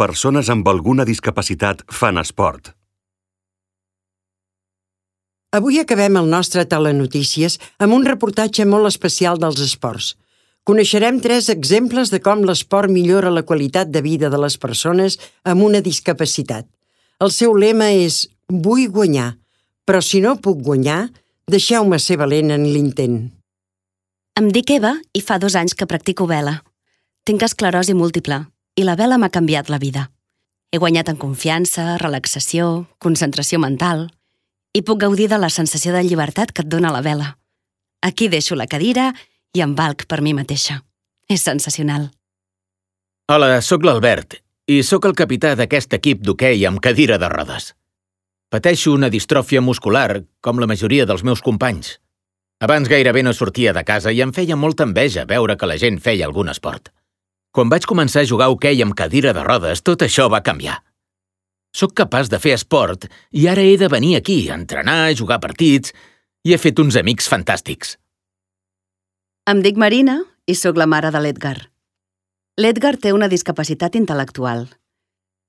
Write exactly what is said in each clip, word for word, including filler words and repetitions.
persones amb alguna discapacitat fan esport. Avui acabem el nostre telenotícies amb un reportatge molt especial dels esports. Coneixerem tres exemples de com l'esport millora la qualitat de vida de les persones amb una discapacitat. El seu lema és «Vull guanyar, però si no puc guanyar, deixeu-me ser valent en l'intent». Em dic Eva i fa dos anys que practico vela. Tinc esclerosi múltiple i la vela m'ha canviat la vida. He guanyat en confiança, relaxació, concentració mental i puc gaudir de la sensació de llibertat que et dona la vela. Aquí deixo la cadira i em valc per mi mateixa. És sensacional. Hola, sóc l'Albert i sóc el capità d'aquest equip d'hoquei amb cadira de rodes. Pateixo una distròfia muscular, com la majoria dels meus companys. Abans gairebé no sortia de casa i em feia molta enveja veure que la gent feia algun esport. Quan vaig començar a jugar a hoquei amb cadira de rodes, tot això va canviar. Soc capaç de fer esport i ara he de venir aquí a entrenar, a jugar partits i he fet uns amics fantàstics. Em dic Marina i sóc la mare de l'Edgar. L'Edgar té una discapacitat intel·lectual.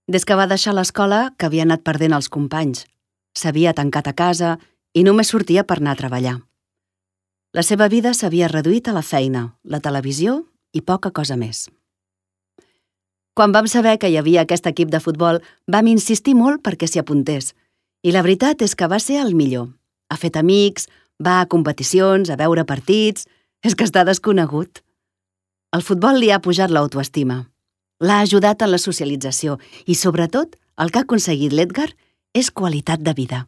Des que va deixar l'escola que havia anat perdent els companys. S'havia tancat a casa i només sortia per anar a treballar. La seva vida s'havia reduït a la feina, la televisió i poca cosa més. Quan vam saber que hi havia aquest equip de futbol, vam insistir molt perquè s'hi apuntés. I la veritat és que va ser el millor. Ha fet amics, va a competicions, a veure partits... És que està desconegut. El futbol li ha pujat l'autoestima. L'ha ajudat en la socialització i, sobretot, el que ha aconseguit l'Edgar és qualitat de vida.